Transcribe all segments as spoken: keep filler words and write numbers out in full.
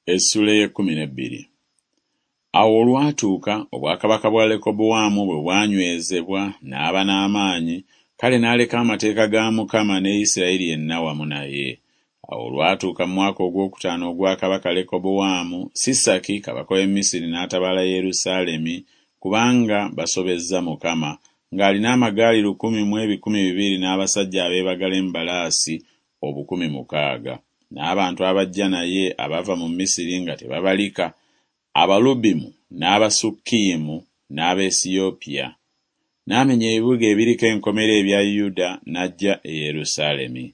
Essuula ey'ekkumi n'ebbiri. Awo olwatuuka obwakabaka bwa Lekobowaamu bwe bwanywezebwa n'aba n'amaanyi, kale n'aleka amateeka ga Mukama ne Isirayiri yenna wamu naye. Awo olwatuuka mu mwaka ogwokutaano ogwa kabaka Lekobowaamu, Sisaki kabaka w'e Misiri n'atabaala Yerusaalemi kubanga basobezza Mukama, ng'alina amagaali lukumi mu ebikumi bibiri n'abasajja abeebagala embalaasi obukumi mukaaga, n'abantu abajja naye abava mu Misiri nga tebabalika, Abalubimu n'Abasukkiyimu n'Abaesiyopiya. N'amenya ebibuga ebiriko enkomera ebya Yuda n'ajja e Yerusaalemi.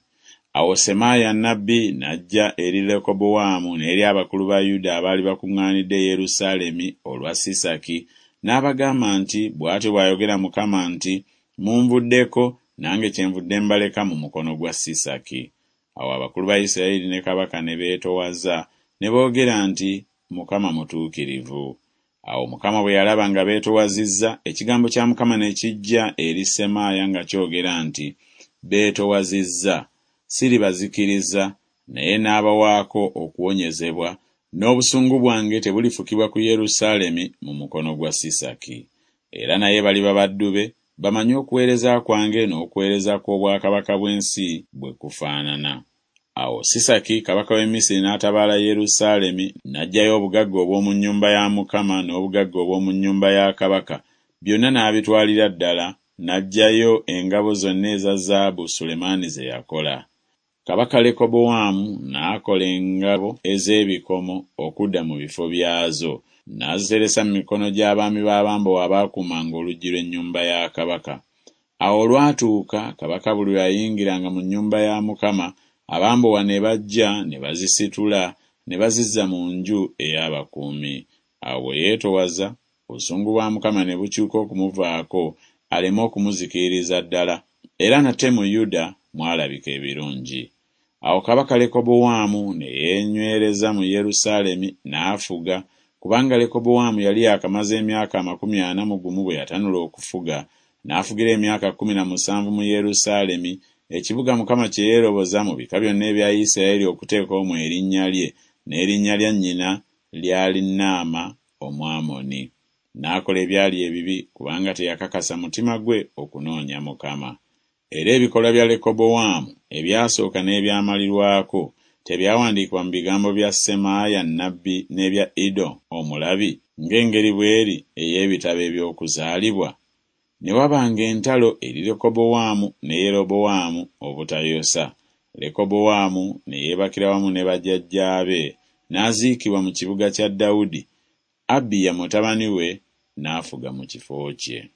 Awo Semaaya nnabbi n'ajja eri Lekobowaamu n'eri abakulu ba Yuda abaali bakuŋŋaanidde e Yerusaalemi olwa Sisaki, n'abagamba nti, Bw'atyo bw'ayogera Mukama nti, Munvuddeko, nange kyenvudde mbaleka mu mukono gwa Sisaki. Awo abakulu ba Isirayiri ne kabaka ne beetoowaza ne boogera nti, Mukama mutuukirivu. Awo Mukama bwe yalaba nga beetoowazizza, ekigambo kya Mukama ne kijja eri Semaaya nga kyogera nti, Beetoowazizza, siribazikiriza, naye n'abawaako okuwonyezebwa, n'obusungu bwange tebulifukibwa ku Yerusaalemi mu mukono gwa Sisaki. Era naye baliba baddu be, bamanye okuweereza kwange n'okuweereza kw'obwakabaka bw'ensi bwe kufaanana. Awo Sisaki kabaka w'e Misiri n'atabaala Yerusaalemi, n'aggyayo obugagga obw'omu nnyumba ya Mukama n'obugagga obw'omu nnyumba ya kabaka, byonna n'abitwalira ddala, n'aggyayo engabo zonna eza zaabu Sulemaani ze yakola. Kabaka Lekobowaamu n'akola engabo ez'ebikomo okudda mu bifo byazo, n'aziteresa mu mikono gy'abaami b'abambowa abaakuumanga oluggi lw'ennyumba ya kabaka. Awo olwatuuka kabaka buli lwe yayingiranga mu nnyumba ya Mukama, abambowa ne bajja ne bazisitula ne bazizza mu nju ey'abakuumi. Awo bwe yeetoowaza, obusungu bwa Mukama ne bukyuka okumuvaako aleme okumuzikiririza ddala, era nate mu Yuda mwalabika ebirungi. Awo kabaka Lekobowaamu ne yeenywereza mu Yerusaalemi n'afuga, kubanga Lekobowaamu yali yaakamaze emyaka amakumi ana mu gumu bwe yatanula okufuga, n'afugira emyaka kkumi na musanvu mu Yerusaalemi, ekibuga Mukama kye yeeroboza mu bika byonna ebya Isirayiri okuteeka omwo erinnya lye, n'erinnya lya nnyina lyali Naama Omwamoni. N'akola ebyali ebibi, kubanga teyakakasa mutima gwe okunoonya Mukama. Era ebikolwa bya Lekobowaamu ebyasooka n'ebyamalirwako tebyawandiikibwa mu bigambo bya Semaaya nnabbi n'ebya Iddo omulabi, ng'engeri bw'eri ey'ebitabo eby'okuzaalibwa? Ne wabanga entalo eri Lekobowaamu ne Yerobowaamu obutayosa. Lekobowaamu ne yeebakira wamu ne bajjajjaabe, n'aziikibwa mu kibuga kya Dawudi, Abiya mutabani we n'afuga mu kifo kye.